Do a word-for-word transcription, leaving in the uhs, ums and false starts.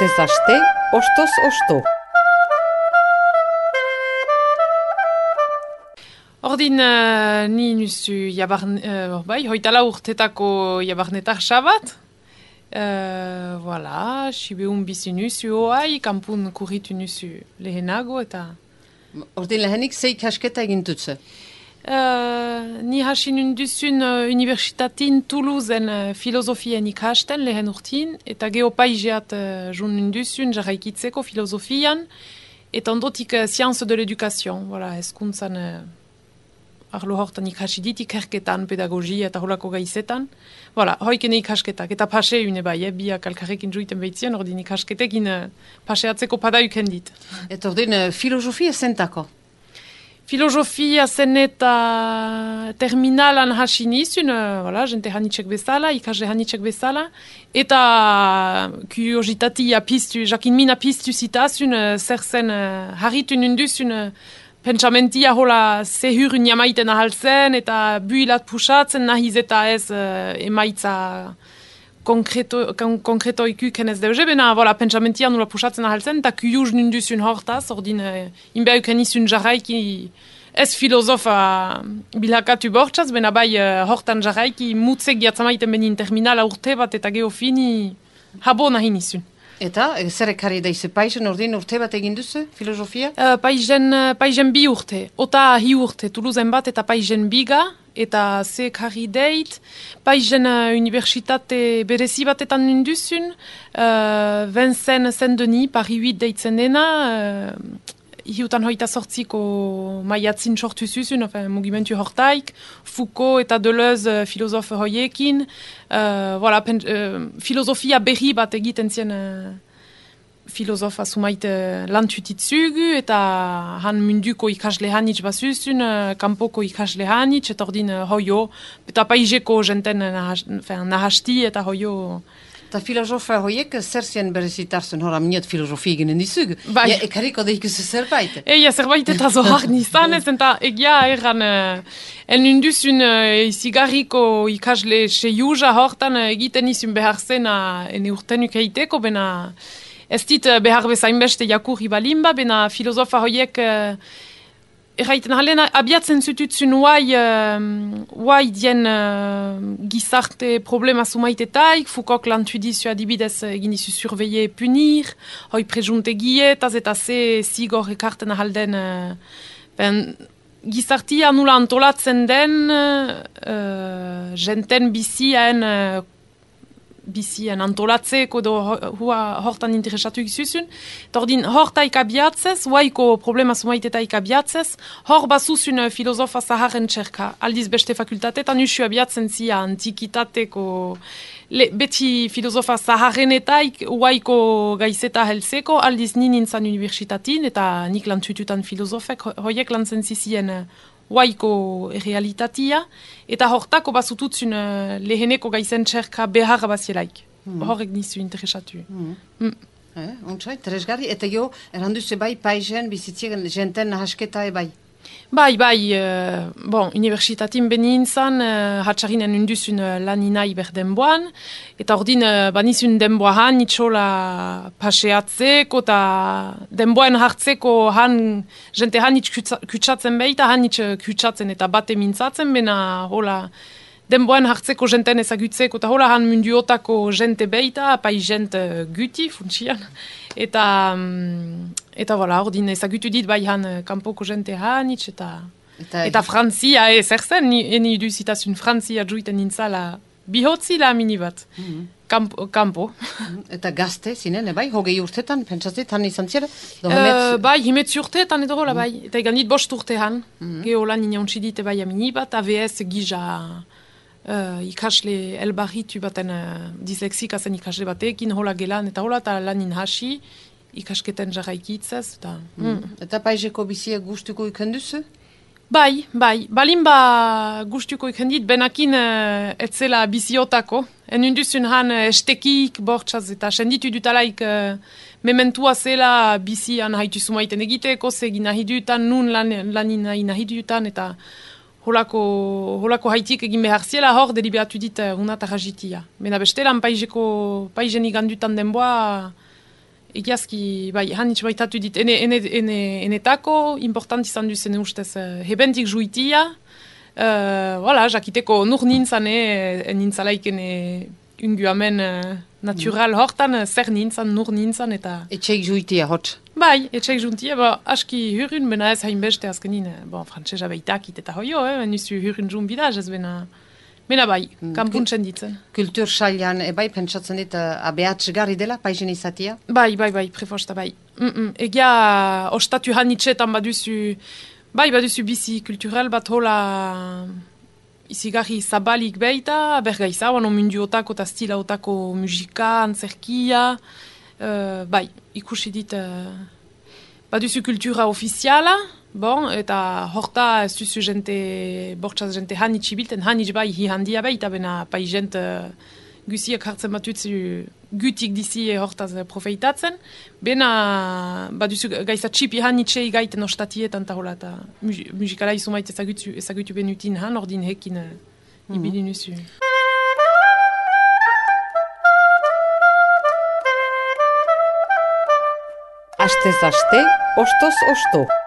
Astez aste, ostoz osto. Ordin, uh, ni nusu jabarn, uh, bai, hoitala urtetako jabarnetar sabat. Uh, voilà, sibeun bizi nusu oai, kampun kurritu nusu lehenago eta... Ordin lehenik zei ikasketa egin dutze? Uh, ni hasin unduzun uh, universitatin Toulousen uh, filosofien ikasten lehen urtin, eta geopaigeat uh, jun unduzun jarraikitzeko filosofian, eta ondotik uh, science de l'éducation, voilà, eskuntzan uh, arlo hortan ikasidit ikerketan, pedagogia eta holako gaizetan. Voilà, hoikene ikasketak, eta pase une bai, eh, biak alkarrekin juiten behitzien, ordin ikasketekin uh, paseatzeko padauken dit. Eta ordin uh, filosofia zentako? Filosofia zen eta terminalan hasi nizun, uh, voilà, jente hanitxek bezala, ikasle hanitxek bezala, eta kuriositatia piztu, jakin mina piztu zitazun, uh, zer zen uh, harritun unduzun, uh, pentsamentia hola zehurun jamaiten ahaltzen, eta builat pusatzen nahiz eta ez uh, emaitza konkreto, kon, konkreto ikuken ez deuze, bena, voilà, pentsamentia nula pusatzen ahaltzen, eta kujuz nunduzun hortaz, ordin, uh, inbeuken izun jarraiki, ez filosofa bilakatu bortxaz, bena bai uh, hortan jarraiki, mutzek jatzamaiten benin terminala urte bat, eta geofini habo nahi nizun. Eta, zer ekarri daize paizen, ordin urte bat egin duzu, filosofia? Uh, paizen, uh, paizen bi urte, ota hi urte, Toulousen bat eta paizen biga, eta ze ekarri deit, paizen uh, universitate berezi batetan ninduzun, uh, Vincent Saint-Denis, Paris huit deitzen dena, uh, hiutan hoita sortziko maiatzin sortu zuzun, enfin, mugimentu hortaik, Foucault eta Deleuze uh, filosofe hoiekin, uh, voilà, pen, uh, filosofia berri bat egiten zien uh, filosofa sumait uh, lantutitzugu, eta han munduko ikasle hanitz bazuzun, uh, kampoko ikasle hanitz, eta ordin uh, hoio, eta paizeko jenten uh, nahasti, eta hoio... Eta filosofa horiek zer zien berezitarzen, hora minot filosofia eginen dizug. Bai. Ja, ekarriko deikuzu zerbait. Eia, zerbait eta zohar nizan ez, eta egia erran, uh, en unduzun uh, izigarriko ikasle seiuza hortan uh, egiten izun behar zen uh, ene urtenuk eiteko, bena ez dit uh, behar bezain beste jakurri balimba, bena filosofa horiek... Uh, Erraiten halen, abiatzen zututzun uai, uh, uai dien uh, gizarte problema sumaitetaik, Foucault lantudizio adibidez egin izu surveiller punir, hoi prejuntegietaz eta ze zigor ekarten ahalden, uh, ben, gizartia nula antolatzen den, uh, jenten bizien, uh, bizien antolatzeko do hua hortan interesatu izuzun. Tordin hortaik abiatzez, huaiko problema sumaitetaik abiatzez, hor bazuzun filosofa zaharen txerka. Aldiz beste fakultatetan usu abiatzen zia antikitateko le, beti filosofa zaharenetaik huaiko gaizeta helzeko, aldiz nin nintzan universitatin, eta nik lantututan filosofek, hoiek lantzen zizien huaiko realitatia, eta hortako bazututzun uh, leheneko gaizen txerka beharra bazielaik. Mm. Horrek nizu interesatu. Mm. Mm. Eh, Ontsai, teresgarri, eta jo, erranduze bai paizen bizitzien jenten nahasketa ebai. Bai, bai, uh, bon, universitatin benin zan, uh, hatxarinen unduzun uh, laninai berdenboan, eta ordin uh, banizun denboan itxola paseatzeko, eta denboan hartzeko han, jente han itx kutsatzen behita, han itx kutsatzen eta bate mintzatzen, bena hola, denboan hartzeko jenten ezagutzeko, eta hola han munduotako jente behita, apai jente guti, funtsian, eta... Um, Eta voilà, ordin ezagutu dit bai han kanpoko jente hanitz, eta, eta, eta Frantzia ez erzen, eni iduzitazun Frantzia juiten nintzala bihotzi la mini bat, mm-hmm. Kampo. Kampo. Mm-hmm. Eta gazte zinen, bai, hogei urtetan, pentsatzet, han izan zira? Uh, bai, himetzi urtetan edo hola, bai, eta egan dit bost urte han, mm-hmm. Geolan inauntzi dit bai amini bat, A V S gija uh, ikasle elbarritu baten uh, disleksika zen ikasle batekin, hola gelan, eta hola, eta lanin hasi, ikasketen jarraikitzaz. Eta, mm. Mm. Eta paizeko bizia gustuko ikenduzu? Bai, bai. Balin ba gustuko ikendit, benakin uh, etzela biziotako. En unduzun han uh, estekik bortxaz eta senditu dutalaik uh, mementua zela bizian haitu sumaiten egiteko, zegin nahi dutan, nun lan, lanin nahi dutan, eta holako, holako haitik egin behar ziela hor deliberatu dit uh, unata rajitia. Bena bestelan paizeko, paizen igandutan denboa, egiazki, bai, hanitz baitatu dit, ene, ene, ene, enetako, important izan duzen ustez, uh, hebentik juitia, uh, voilà, jakiteko nur nintzan, eh, nintzalaik ene unguamen uh, natural hortan, uh, zer nintzan, nur nintzan, eta... Etxeik juitia, hotz. Bai, etxeik juntia, ba, aski hurrun, bena ez hainbeste azkenin, bon, frantzesa beitakit eta hoio, eh, nizu hurrun jun bidaz, ez bena... Bena bai, kanpuntzen ditzen. Kultur sailan, ebai, pentsatzen dit, uh, abeatzgarri dela, paizen izatia? Bai, bai, bai, prefosta, bai. Mm -mm. Egia, ostatu hanitzetan baduzu, bai, baduzu bizi kulturel bat hola izigarri zabalik beita, bergaiza, bano mundu otako eta stila otako musika, antzerkia, uh, bai, ikusi dit, uh, baduzu kultura ofiziala, bon, eta horta ez duzu jente, bortxaz jente hanitz ibilten, hanitz bai hi handia beita, bena pai jent uh, guziak hartzen batutzu gutik dizi hortaz profeitatzen, bena baduzu gaiza txipi hanitzei gaiten ostatietan eta hola, eta musikala izumait ezagutu, ezagutu benutin han, ordin hekin uh, mm-hmm. ibili nuzu. Astez aste, ostoz osto.